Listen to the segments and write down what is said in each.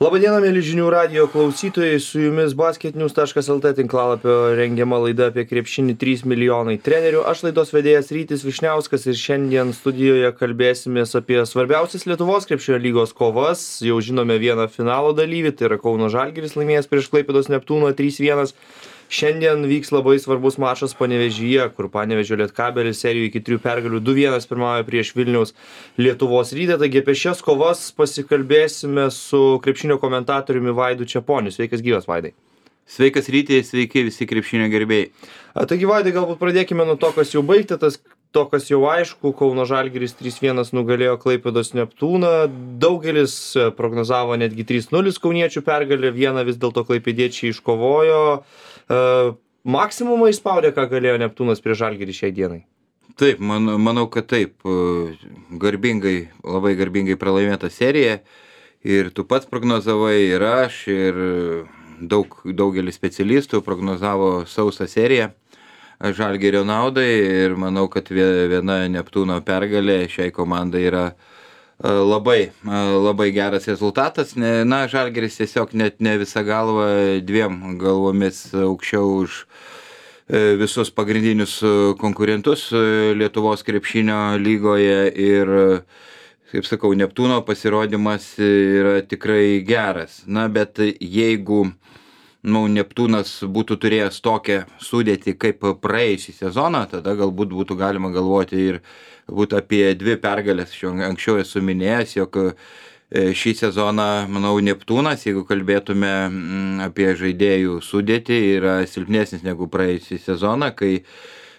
Labadiena, mėly žinių radijo klausytojai, su jumis basketnews.lt tinklalapio rengiama laida apie krepšinį 3 milijonai trenerių. Aš laidos vedėjas Rytis Vyšniauskas ir šiandien studijoje kalbėsimės apie svarbiausias Lietuvos krepšinio lygos kovas. Jau žinome vieną finalo dalyvį, tai yra Kauno Žalgiris laimėjęs prieš Klaipėdos Neptūną 3-1. Šiandien vyks labai svarbus mačas Panevėžyje, kur Panevėžio Lietkabelis serijoje iki 3 pergalių 2-1 pirmauja prieš Vilniaus Lietuvos Rytą. Taigi apie šias kovas pasikalbėsime su krepšinio komentatoriumi Vaidu Čeponiu. Sveikas gyvas, Vaidai. Sveikas Rytai, sveiki visi krepšinio gerbėjai. Taigi, Vaidai, galbūt pradėkime nuo to, kas jau baigta, to, kas jau aišku. Kauno Žalgiris 3-1 nugalėjo Klaipėdos Neptūną. Daugelis prognozavo netgi 3-0 kauniečių pergalę, vieną vis dėlto klaipėdiečiai iškovojo. Maksimumą išspaudė, ką galėjo Neptūnas prieš Žalgirį šiai dienai? Taip, manau, kad taip. Labai garbingai pralaimėta serija. Ir tu pats prognozavai, ir aš, ir daugelis specialistų prognozavo sausą seriją Žalgirio naudai. Ir manau, kad viena Neptūno pergalė šiai komandai yra labai geras rezultatas. Žalgiris tiesiog net ne visą galvą, dviem galvomis aukščiau už visus pagrindinius konkurentus Lietuvos krepšinio lygoje ir, kaip sakau, Neptūno pasirodymas yra tikrai geras. Bet jeigu Neptūnas būtų turėjęs tokią sudėtį kaip praėjusį sezoną, tada galbūt būtų galima galvoti ir apie 2 pergalės. Anksčiau esu minėjęs, jog šį sezoną, manau, Neptūnas, jeigu kalbėtume apie žaidėjų sudėtį, yra silpnesnis negu praėjusį sezoną, kai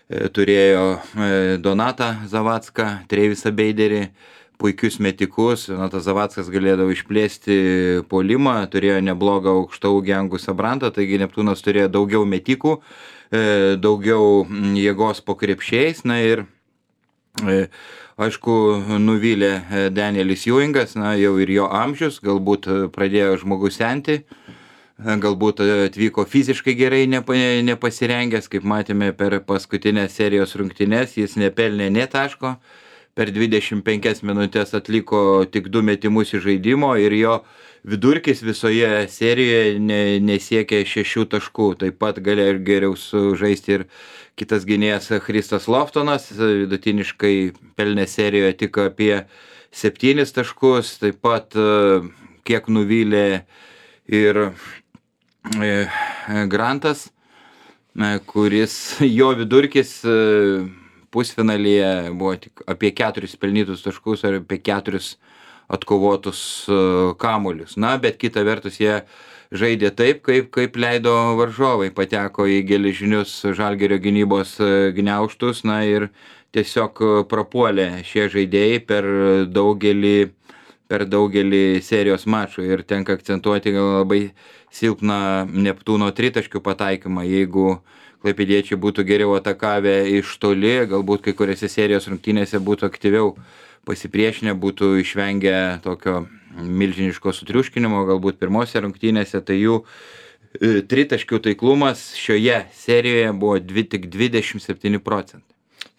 turėjo Donatą Zavacką, Trevisą Beiderį, puikius metikus. Donatas Zavackas galėdavo išplėsti puolimą, turėjo neblogą aukštaūgį Angusą Brantą, taigi Neptūnas turėjo daugiau metikų, daugiau jėgos po krepšiais. Ir aišku, nuvylė Danielis Ewingas, jau ir jo amžius, galbūt pradėjo žmogus senti, galbūt atvyko fiziškai gerai nepasirengęs, kaip matėme per paskutinės serijos rungtynes, jis nepelnė nė taško, per 25 minutės atliko tik 2 metimus iš žaidimo ir jo vidurkis visoje serijoje nesiekė 6 taškų. Taip pat galėjo geriau sužaisti ir kitas gynėjas Christas Loftonas, vidutiniškai pelnė serijoje tik apie 7 taškus, taip pat kiek nuvylė ir Grantas, kuris jo vidurkis pusfinalyje buvo tik apie 4 pelnytus taškus ar apie 4 atkovotus kamuolius. Bet kita vertus jie žaidė taip, kaip leido varžovai, pateko į geležinius Žalgirio gynybos gniaužtus, ir tiesiog prapuolė šie žaidėjai per daugelį serijos mačų. Ir tenka akcentuoti labai silpną Neptūno tritaškių pataikymą. Jeigu klaipėdiečiai būtų geriau atakavę iš toli, galbūt kai kuriuose serijos rungtynėse būtų aktyviau pasipriešinę, būtų išvengę tokio milžiniško sutriuškinimo, galbūt pirmose rungtynėse, tai jų tritaškių taiklumas šioje serijoje buvo tik 27%.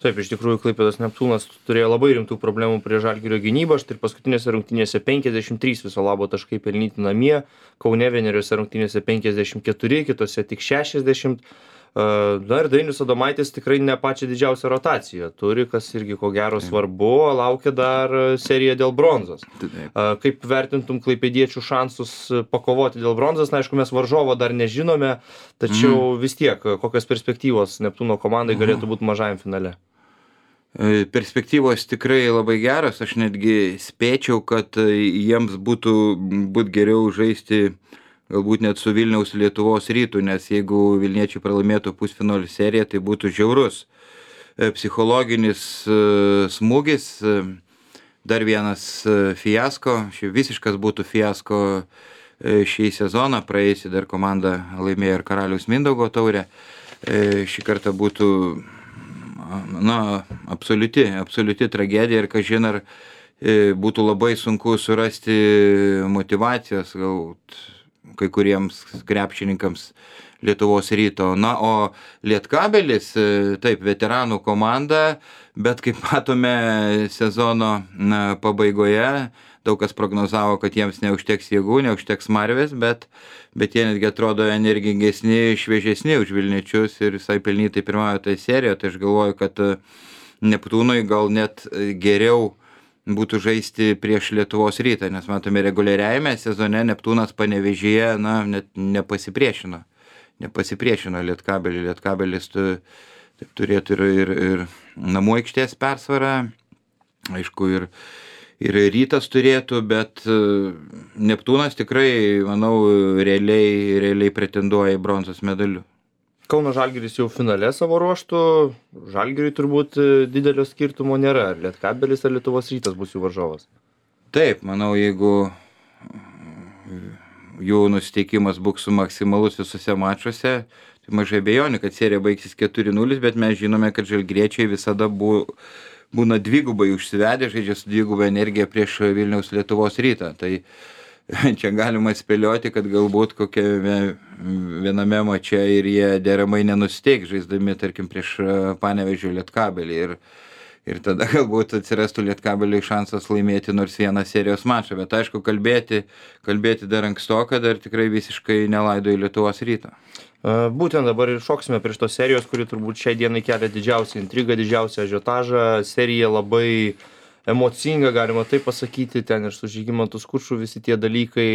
Taip, iš tikrųjų, Klaipėdos Neptūnas turėjo labai rimtų problemų prie Žalgirio gynybą. Štai paskutinėse rungtynėse 53 viso labo taškai pelnyti namie, Kaune vieneriuose rungtynėse 54, kitose tik 60. Ir Dainius Adomaitis tikrai ne pačią didžiausią rotaciją turi, kas irgi ko gero svarbu, laukia dar serija dėl bronzos. Kaip vertintum klaipėdiečių šansus pakovoti dėl bronzos? Aišku, mes varžovo dar nežinome, tačiau vis tiek, kokios perspektyvos Neptūno komandai galėtų būti mažajam finale? Perspektyvos tikrai labai geros, aš netgi spėčiau, kad jiems būtų geriau žaisti galbūt net su Vilniaus Lietuvos Rytu, nes jeigu Vilniečiai pralaimėtų pusfinalio seriją, tai būtų žiaurus psichologinis smūgis, dar vienas fiasko, visiškas būtų fiasko šį sezoną, praėjusį dar komanda laimėjo ir Karaliaus Mindaugo taurę, šį kartą būtų absoliuti tragedija ir kažin ar būtų labai sunku surasti motyvacijos, galbūt kai kuriems krepšininkams Lietuvos Ryto. O Lietkabelis, taip, veteranų komanda, bet kaip matome sezono pabaigoje, daug kas prognozavo, kad jiems neužteks jėgų, neužteks smarvės, bet jie netgi atrodo energingesni, šviežesni už Vilniečius ir visai pelnytai pirmauja toje serijoje. Tai aš galvoju, kad Neptūnui gal net geriau būtų žaisti prieš Lietuvos Rytą, nes matome reguliariajame sezone Neptūnas Panevėžyje net nepasipriešino Lietkabeliui. Lietkabelis taip turėtų ir namų aikštės persvarą, aišku, ir Rytas turėtų, bet Neptūnas tikrai, manau, realiai pretenduoja į bronzos medalių. Kauno Žalgiris jau finale savo ruoštų, Žalgiriui turbūt didelio skirtumo nėra, ar Lietkabelis ar Lietuvos Rytas bus jų varžovas. Taip, manau, jeigu jų nusiteikimas bus maksimalus visose mačuose, tai mažai abejonių, kad serija baigsis 4-0, bet mes žinome, kad žalgiriečiai visada būna dvigubai užsivedę, žaidžia su dvigubai energija prieš Vilniaus Lietuvos Rytą. Tai čia galima spėlioti, kad galbūt kokiame viename mače ir jie deramai nenusiteiks, žaisdami, tarkim, prieš Panevėžio Lietkabelį. Ir tada galbūt atsirastų Lietkabeliui šansas laimėti nors vieną serijos mačą. Bet aišku, kalbėti dar ankstoka, dar tikrai visiškai nelaido į Lietuvos Rytą. Būtent dabar ir šoksime prieš tos serijos, kuri turbūt šiai dienai kelia didžiausią intrigą, didžiausią ažiotažą. Serija labai emocinga, galima taip pasakyti, ten ir su Žygimantu Skuču visi tie dalykai,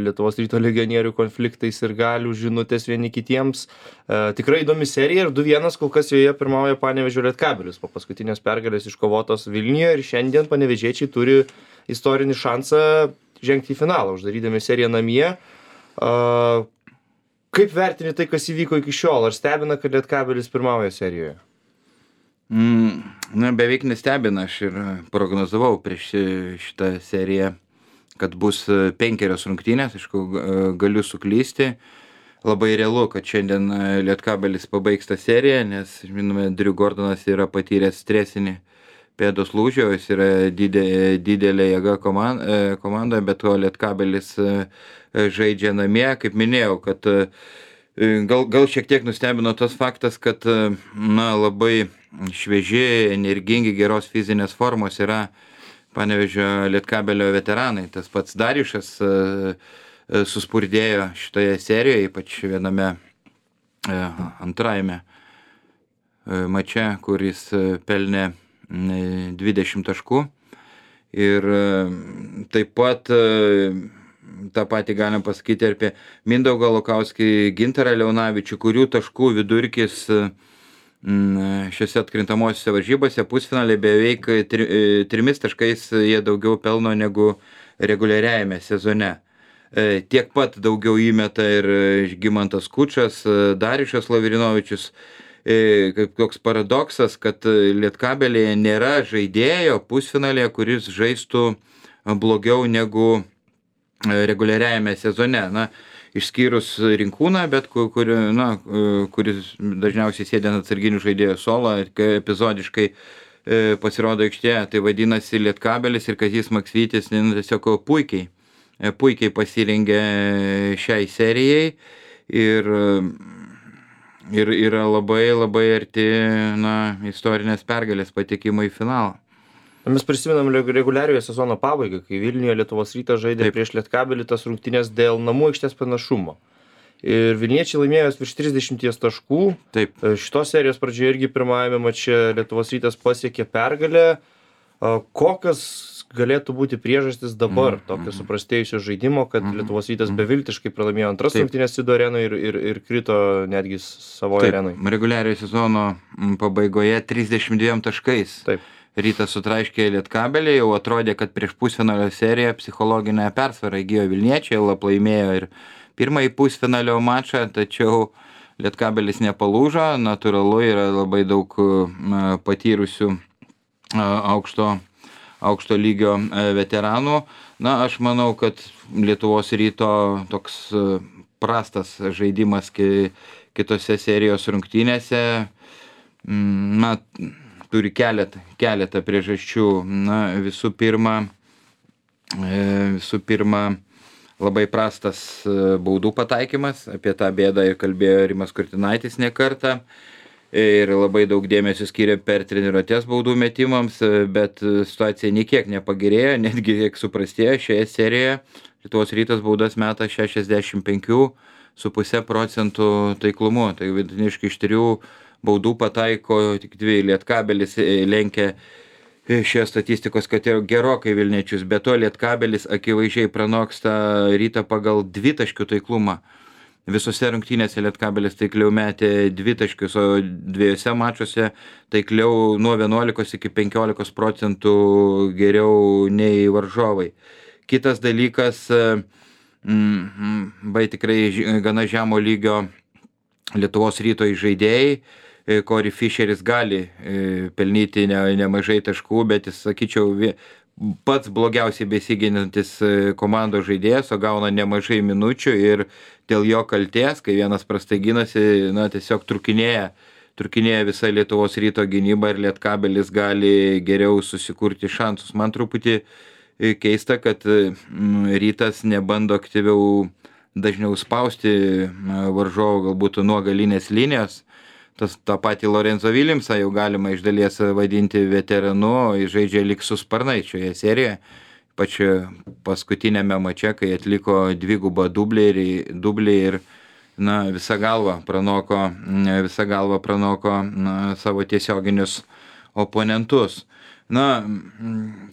Lietuvos Ryto legionierių konfliktais ir galių žinutės vieni kitiems. Tikrai įdomi serija ir 2-1 kol kas joje pirmauja Panevėžio Lietkabelis po paskutinės pergalės iškovotos Vilniuje ir šiandien panevėžiečiai turi istorinį šansą žengti į finalą, uždarydami seriją namie. Kaip vertini tai, kas įvyko iki šiol? Ar stebina, kad Lietkabelis pirmauja serijoje? Beveik nestebina, aš ir prognozavau prieš šitą seriją, kad bus 5 rungtynės, aišku, galiu suklysti. Labai realu, kad šiandien Lietkabelis pabaigs tą seriją, nes, žinome, Drew Gordonas yra patyręs stresinį pėdos lūžio, jis yra didelė jėga komandoje, bet to Lietkabelis žaidžia namie, kaip minėjau, kad gal šiek tiek nustebino tas faktas, kad labai švieži, energingi, geros fizinės formos yra Panevėžio Lietkabelio veteranai. Tas pats Dariušas suspurdėjo šitoje serijoje, ypač viename antrajame mače, kuris pelnė 20 taškų. Ir taip pat tą patį galim pasakyti apie Mindaugą Lukauskį, Gintarą Leonavičių, kurių taškų vidurkis šiose atkrintamosiose varžybose pusfinalį beveik 3 taškais jie daugiau pelno negu reguliariajame sezone. Tiek pat daugiau įmeta ir Žygimantas Skučas, Dariušas Lavrinovičius. Kaip toks paradoksas, kad Lietkabelyje nėra žaidėjo pusfinalėje, kuris žaistų blogiau negu reguliariajame sezone. Išskyrus Rinkūną, bet kuris dažniausiai sėdė atsarginių žaidėjų suolą, epizodiškai pasirodo aikštėje. Tai vadinasi, Lietkabelis ir Kazys Maksvytis tiesiog puikiai pasirengė šiai serijai ir yra labai arti istorinės pergalės patekimo į finalą. Mes prisimenam reguliariojo sezono pabaigą, kai Vilniuje Lietuvos Rytas žaidė prieš Lietkabelį tas rungtynes dėl namų aikštės panašumo. Ir Vilniečiai laimėjo virš 30 taškų. Taip. Šitos serijos pradžioje irgi pirmajame mače Lietuvos Rytas pasiekė pergalę. Kokios galėtų būti priežastis dabar tokio suprastėjusio žaidimo, kad Lietuvos Rytas beviltiškai pralaimėjo antras rungtynes Sido arenoje ir krito netgi savoje arenoje? Reguliariojo sezono pabaigoje 32 taškais. Taip. Rytas sutraiškė Lietkabelį, jau atrodė, kad prieš pusfinalio seriją psichologinę persvarą įgijo Vilniečiai, laimėjo ir pirmąjį pusfinalio mačą, tačiau Lietkabelis nepalūžo, natūralu yra labai daug patyrusių aukšto lygio veteranų. Aš manau, kad Lietuvos Ryto toks prastas žaidimas kitose serijos rungtynėse turi keletą priežasčių. Visų pirma, labai prastas baudų pataikymas, apie tą bėdą ir kalbėjo Rimas Kurtinaitis ne kartą. ir labai daug dėmesio skiria per treniruotes baudų metimams, bet situacija niekiek nepagerėjo, netgi kiek suprastėjo šioje serijoje. Lietuvos Rytas baudas meta 65,5 procentų taiklumu, tai vidutiniškai iš 3 baudų pataiko tik 2. Lietkabelis lenkia šioje statistikos kategorijoje gerokai Vilniečius, be to Lietkabelis akivaizdžiai pranoksta Rytą pagal dvitaškių taiklumą. Visose rungtynėse Lietkabelis taikliau metė 2 taškius, o 2 mačuose taikliau nuo 11 iki 15 procentų geriau nei varžovai. Kitas dalykas, tikrai gana žemo lygio Lietuvos Ryto žaidėjai. Corey Fisheris gali pelnyti nemažai taškų, bet jis, sakyčiau, pats blogiausiai besiginantis komandos žaidėjas, o gauna nemažai minučių ir dėl jo kaltės, kai vienas prastai ginasi, tiesiog trukinėja visa Lietuvos Ryto gynyba ir Lietkabelis gali geriau susikurti šansus. Man truputį keista, kad Rytas nebando aktyviau dažniau spausti varžovų galbūt nuo galinės linijos. tą patį Lorenzo Williamsą jau galima iš dalies vadinti veteranu, jis žaidžia lyg su sparnais šioje serijoje. Ypač paskutinėme mače, kai atliko dvigubą dublį ir visą galvą pranoko savo tiesioginius oponentus.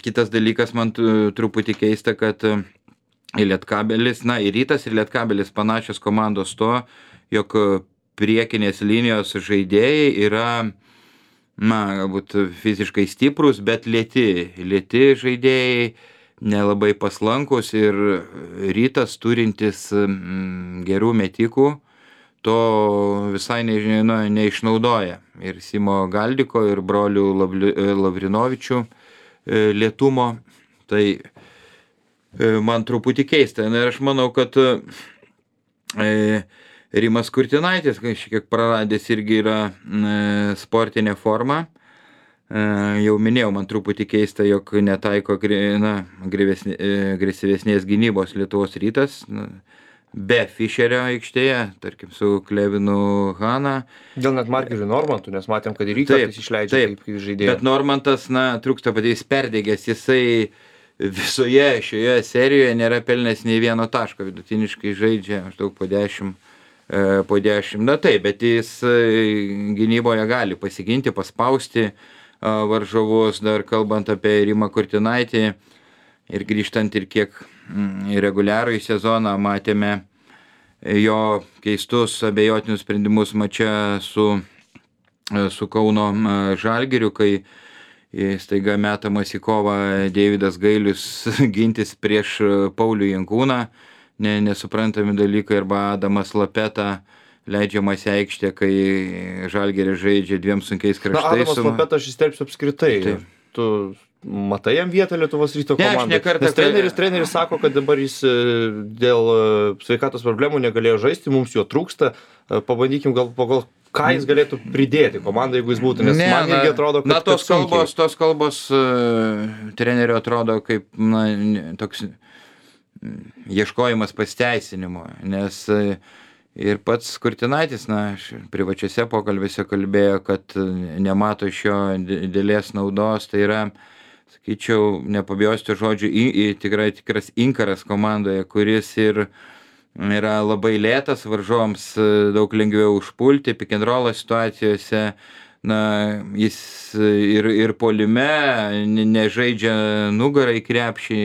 Kitas dalykas man truputį keista, kad Lietkabelis, ir Rytas ir Lietkabelis panašios komandos to, jog priekinės linijos žaidėjai yra, galbūt fiziškai stiprus, bet lėti žaidėjai, nelabai paslankus ir Rytas turintis gerų metikų, to visai neišnaudoja. Ir Simo Galdiko, ir brolių Lavrinovičių lėtumo, tai man truputį keista. Ir aš manau, kad Rimas Kurtinaitis, kažkiek praradęs, irgi yra sportinė forma. Jau minėjau, man truputį keista, jog netaiko agresyvesnės gynybos Lietuvos Rytas, be Fischerio aikštėje, tarkim su Klevinu Hana. Dėl net Margirdui Normantų, nes matėm, kad ir Rytas išleidžia kaip žaidėjas. Bet Normantas, trūksta patys perdegęs, jisai visoje šioje serijoje nėra pelnęs nei vieno taško, vidutiniškai žaidžia maždaug po 10. Bet jis gynyboje gali pasiginti, paspausti varžovus, dar kalbant apie Rimą Kurtinaitį ir grįžtant ir kiek reguliarų į sezoną matėme jo keistus abejotinius sprendimus mače su Kauno Žalgiriu, kai staiga metamas į kovą Deividas Gailius gintis prieš Paulių Jankūną, nesuprantami dalykai, arba Adamas Lapeta leidžiamas į aikštę, kai Žalgiris žaidžia dviem sunkiais kraštais. Adamas Lapeta aš įsterpsiu apskritai. Taip. Tu matai jam vietą Lietuvos Ryto komandai? Nes treneris sako, kad dabar jis dėl sveikatos problemų negalėjo žaisti, mums jo trūksta. Pabandykim gal ką jis galėtų pridėti komandai, jeigu jis būtų, nes man irgi atrodo, kad tos kalbos trenerio atrodo kaip toks ieškojimas pasiteisinimo, nes ir pats Kurtinaitis, privačiuose pokalbėse kalbėjo, kad nemato iš jo didelės naudos, tai yra, sakyčiau, nepabijosiu žodžių, tikras inkaras komandoje, kuris ir yra labai lėtas, varžovams daug lengviau užpulti, pick and roll situacijose, jis ir puolime nežaidžia nugarą į krepšį,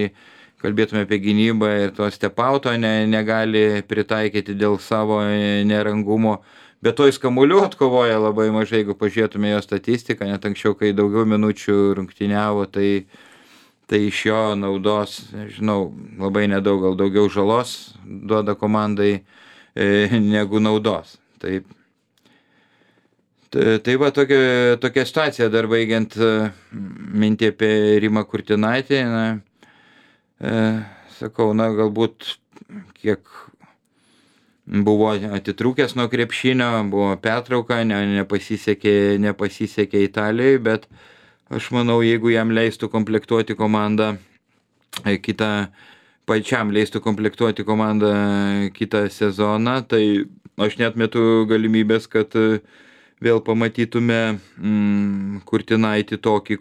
kalbėtume apie gynybą ir to step-outo negali pritaikyti dėl savo nerangumo, bet to jis kamuolių atkovoja labai mažai, jeigu pažiūrėtume jo statistiką, net anksčiau, kai daugiau minučių rungtyniavo, tai iš jo naudos, žinau, labai nedaug, gal daugiau žalos duoda komandai negu naudos. Tai va tokia situacija, dar baigiant mintį apie Rimą Kurtinaitį, sakau, galbūt kiek buvo atitrūkęs nuo krepšinio, buvo pertrauka, nepasisekė Italijoje, bet aš manau, jeigu jam leistų komplektuoti komandą pačiam leistų komplektuoti komandą kitą sezoną, tai aš neatmetu galimybės, kad vėl pamatytume Kurtinaitį tokį,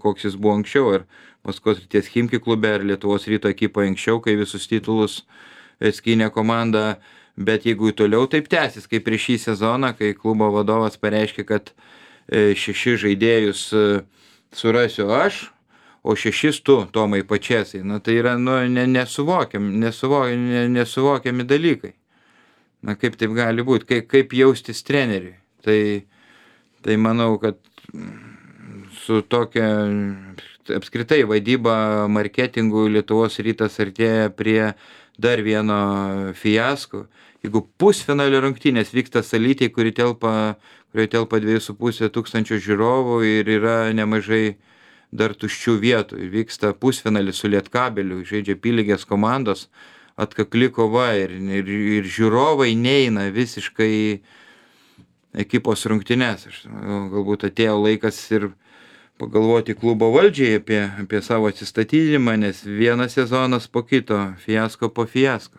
koks jis buvo anksčiau, ar Maskvos Srities Chimki klube, ar Lietuvos Ryto ekipoje anksčiau, kai visus titulus skynė komanda, bet jeigu toliau taip tęsis, kaip prieš šį sezoną, kai klubo vadovas pareiškė, kad 6 žaidėjus surasiu aš, o 6 tu, Tomai Pačėsai, tai yra nesuvokiami dalykai. Kaip taip gali būti, kaip jaustis treneriui. Tai manau, kad su tokia apskritai vadyba marketingų Lietuvos Rytas artėja prie dar vieno fiasko. Jeigu pusfinalio rungtynės vyksta Salytėj, kurioje telpa 2,5 tūkstančio žiūrovų ir yra nemažai dar tuščių vietų. Vyksta pusfinalis su Lietkabeliu, žaidžia apylygės komandos, atkakli kova ir žiūrovai neina visiškai ekipos rungtynes. Galbūt atėjo laikas ir pagalvoti klubo valdžiai apie savo atsistatydinimą, nes vienas sezonas po kito, fiasko po fiasko.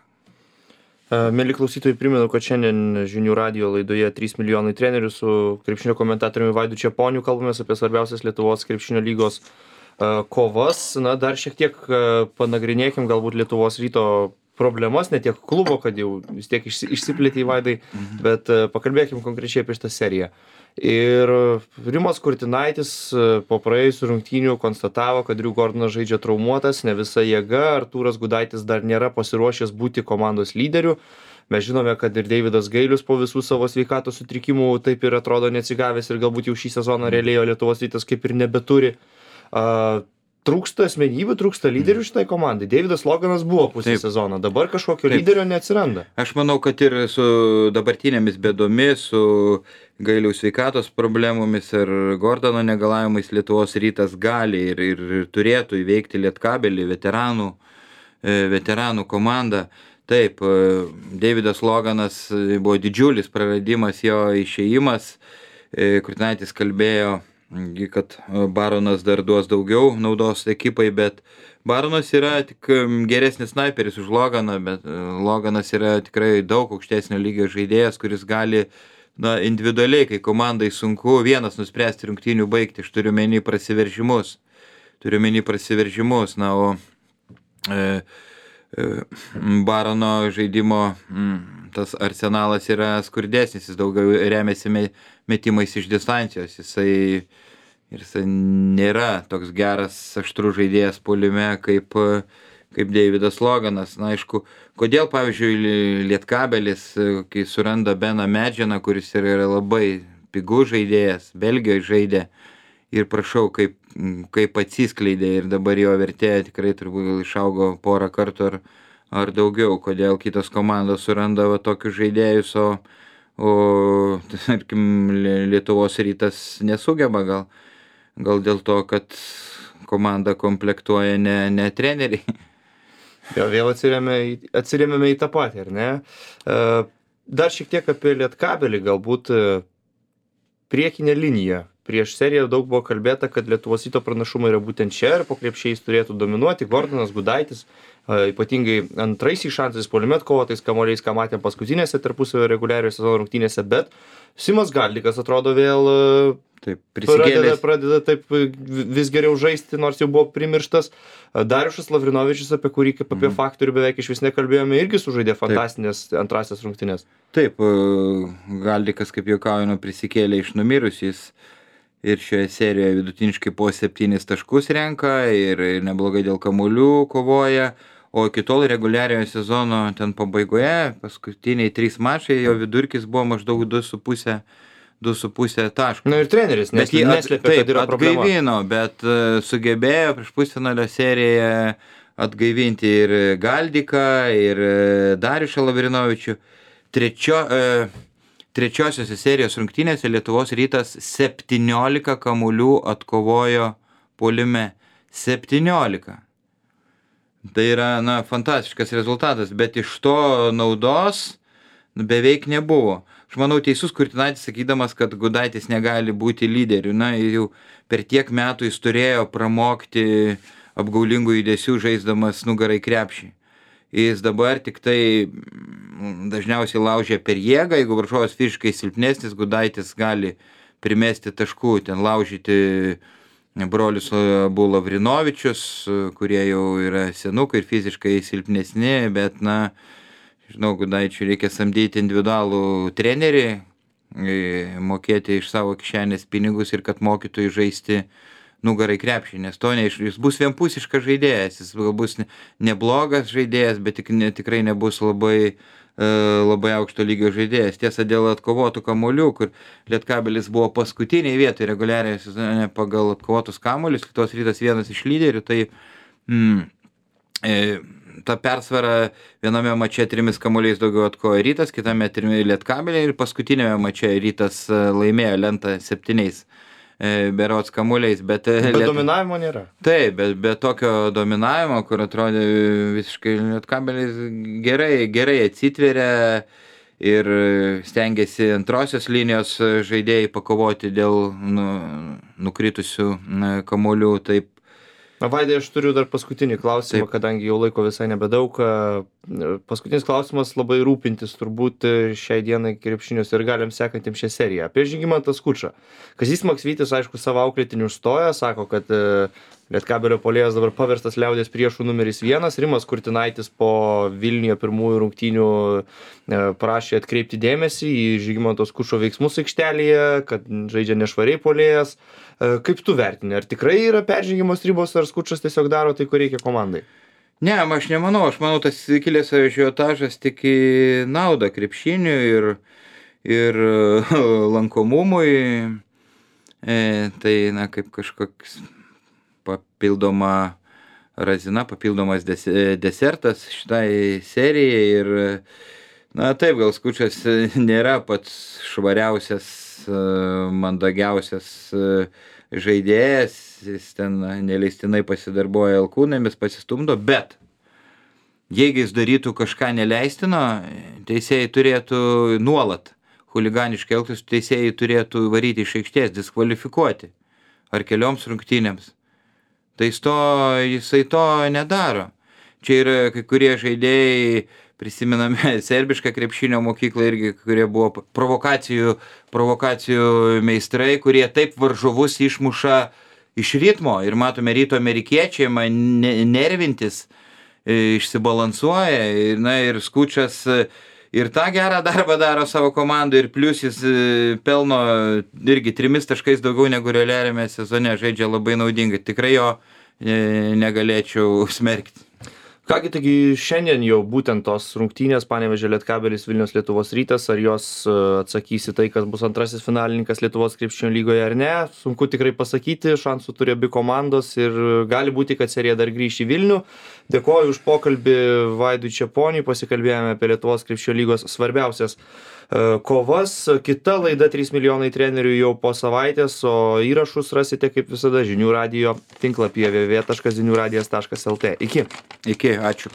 Mėly klausytojai, primenu, kad šiandien Žinių radijo laidoje 3 milijonai trenerių su krepšinio komentatoriumi Vaidu Čeponiu kalbamės apie svarbiausias Lietuvos krepšinio lygos kovas. Dar šiek tiek panagrinėkim galbūt Lietuvos Ryto problemas, ne tiek klubo, kad jau vis tiek išsiplėtė į Vaidai, bet pakalbėkim konkrečiai apie šitą seriją. Ir Rimas Kurtinaitis po praėjusių rungtynių konstatavo, kad Drew Gordonas žaidžia traumuotas, ne visa jėga, Artūras Gudaitis dar nėra pasiruošęs būti komandos lyderiu. Mes žinome, kad ir Deividas Gailius po visų savo sveikatos sutrikimų taip ir atrodo neatsigavęs ir galbūt jau šį sezoną realiai Lietuvos Rytas kaip ir nebeturi. Trūksta asmenybių, trūksta lyderių šitai komandai. Deividas Loganas buvo pusę sezono, dabar kažkokio lyderio neatsiranda. Aš manau, kad ir su dabartinėmis bėdomis, su Gailiaus sveikatos problemomis ir Gordono negalavimais Lietuvos Rytas gali ir turėtų įveikti Lietkabelį, veteranų komandą. Taip, Deividas Loganas buvo didžiulis praradimas, jo išėjimas. Kurtinaitis kalbėjo, kad Baronas dar duos daugiau naudos ekipai, bet Baronas yra tik geresnis snaiperis už Loganą, bet Loganas yra tikrai daug aukštesnio lygio žaidėjas, kuris gali individualiai, kai komandai sunku vienas nuspręsti rungtynių baigti. Aš turiu menį prasiveržimus. O Barono žaidimo tas arsenalas yra skurdesnis, jis daugiau remiasi metimais iš distancijos. Jisai nėra toks geras aštrus žaidėjas puolime kaip Deividas Loganas. Aišku, kodėl, pavyzdžiui, Lietkabelis, kai suranda Beną Medžianą, kuris yra labai pigus žaidėjas, Belgijoje žaidė, ir prašau, kaip atsiskleidė ir dabar jo vertė tikrai turbūt išaugo porą kartų ar daugiau. Kodėl kitos komandos suranda tokius žaidėjus, o tarkim, Lietuvos Rytas nesugeba gal dėl to, kad komanda komplektuoja ne treneriai. Jo, vėl atsirėmėme į tą patį, ar ne? Dar šiek tiek apie Lietkabelį, galbūt priekinė linija. Prieš seriją daug buvo kalbėta, kad Lietuvos Ryto pranašumai yra būtent čia ir po krepšiais turėtų dominuoti Gordonas, Gudaitis, ypatingai antraisiais šansais puolime atkovotais kamuoliais, ką matėm paskutinėse tarpusavio reguliariojo sezono rungtynėse, bet Simas Galdikas atrodo vėl pradeda taip vis geriau žaisti, nors jau buvo primirštas. Dariušas Lavrinovičius, apie kurį kaip apie faktorių beveik iš vis nekalbėjome, irgi sužaidė fantastinės antrasias rungtynės. Taip, Galdikas, kaip juokaujama, prisikėlė iš numirusiais ir šioje serijoje vidutiniškai po 7 taškus renka ir neblogai dėl kamuolių kovoja, o iki tol reguliariojo sezono ten pabaigoje, paskutiniai 3 mačai, jo vidurkis buvo maždaug 2,5 taškų. Na ir treneris neslėpė, kad yra problema. Atgaivino, bet sugebėjo prieš pusfinalio seriją atgaivinti ir Galdiką, ir Dariušą Lavrinovičių. Trečiosiose serijos rungtynėse Lietuvos Rytas 17 kamuolių atkovojo puolime. 17. Tai yra, fantastiškas rezultatas, bet iš to naudos beveik nebuvo. Aš manau, teisus Kurtinaitis sakydamas, kad Gudaitis negali būti lyderiu. Jau per tiek metų jis turėjo pramokti apgaulingų judesių žaisdamas nugarai krepšį. Jis dabar tik tai dažniausiai laužia per jėgą, jeigu varžovas fiziškai silpnesnis, Gudaitis gali primesti taškų, ten laužyti brolius abu Lavrinovičius, kurie jau yra senukai ir fiziškai silpnesni, bet, žinau, Gudaičiui reikia samdyti individualų trenerį, mokėti iš savo kišenės pinigus ir kad mokytų žaisti nugarai krepšį, nes to jis bus vienpusiškas žaidėjas, jis bus neblogas žaidėjas, bet tikrai nebus labai aukšto lygio žaidėjas. Tiesa, dėl atkovotų kamuolių, kur Lietkabelis buvo paskutiniai vietoje reguliariai sezone pagal atkovotus kamuolius, Lietuvos Rytas vienas iš lyderių, tai ta persvara viename mače 3 kamuoliais daugiau atkovojo Rytas, kitame 3 Lietkabeliai ir paskutinėme mače Rytas laimėjo lentą 7 berods kamuoliais, bet dominavimo nėra. Taip, bet tokio dominavimo, kur atrodė visiškai Lietkabelis gerai atsitveria ir stengiasi antrosios linijos žaidėjai pakovoti dėl nukritusių kamuolių. Taip. Vaidai, aš turiu dar paskutinį klausimą, kadangi jau laiko visai nebedaug. Paskutinis klausimas labai rūpintis turbūt šiai dienai krepšinius ir galim sekantiems šią seriją. Apie Žygimantą Skučą. Kazys Maksvytis, aišku, savo auklėtinių užstoja, sako, kad Lietkabelio puolėjas dabar paverstas liaudės priešų numeris 1. Rimas Kurtinaitis po Vilniuje pirmųjų rungtynių prašė atkreipti dėmesį į Žygimanto Skučo veiksmus aikštelėje, kad žaidžia nešvariai puolėjas. Kaip tu vertini, ar tikrai yra peržengimos ribos, ar Skučas tiesiog daro tai, ko reikia komandai? Ne, aš nemanau, tas kilęs ažiotažas tik į naudą krepšiniui ir lankomumui. Tai, kaip kažkoks papildoma razina, papildomas desertas šitai serijai ir, taip, gal Skučas nėra pats švariausias, mandagiausias žaidėjas, jis ten neleistinai pasidarbuoja alkūnėmis, pasistumdo, bet jeigu jis darytų kažką neleistino, teisėjai turėtų nuolat chuliganiškai elgtis, teisėjai turėtų varyti iš aikštės, diskvalifikuoti ar kelioms rungtynėms. Tai jisai to nedaro. Čia yra kai kurie žaidėjai, prisimename serbišką krepšinio mokyklą irgi, kurie buvo provokacijų meistrai, kurie taip varžovus išmuša iš ritmo. Ir matome Ryto amerikiečiai, nervintis, išsibalansuoja. Ir Skučas ir tą gerą darbą daro savo komandai, ir plius jis pelno irgi 3 taškais daugiau negu realiame sezone, žaidžia labai naudingai. Tikrai jo negalėčiau smerkti. Kągi, taigi šiandien jau būtent tos rungtynės Panevėžio Lietkabelis Vilnius Lietuvos Rytas, ar jos atsakys į tai, kas bus antrasis finalininkas Lietuvos krepšinio lygoje ar ne, sunku tikrai pasakyti, šansų turi abi komandos ir gali būti, kad serija dar grįš į Vilnių. Dėkoju už pokalbį Vaidui Čeponiui, pasikalbėjome apie Lietuvos krepšinio lygos svarbiausias kovas. Kita laida 3 milijonai trenerių jau po savaitės, o įrašus rasite kaip visada žinių radijo tinklapyje www.ziniuradijas.lt. Iki, ačiū.